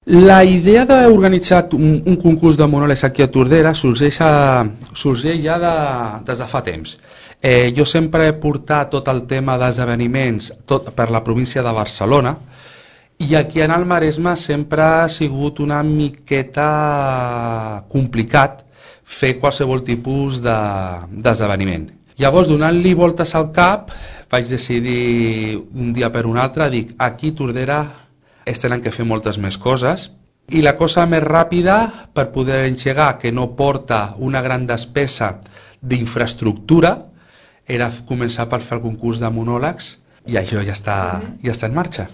La idea d'organitzar un concurs de monòlegs aquí a Tordera sorgeix ja des de fa temps. Jo sempre he portat tot el tema d'esdeveniments per la província de Barcelona i aquí en el Maresme sempre ha sigut una miqueta complicat fer qualsevol tipus d'esdeveniment. Llavors, donant-li voltes al cap, vaig decidir un dia per un altre, dic, aquí a Tordera es tenen que fer moltes més coses i la cosa més ràpida per poder engegar, que no porta una gran despesa d'infraestructura, era començar per fer el concurs de monòlegs i això ja està en marxa.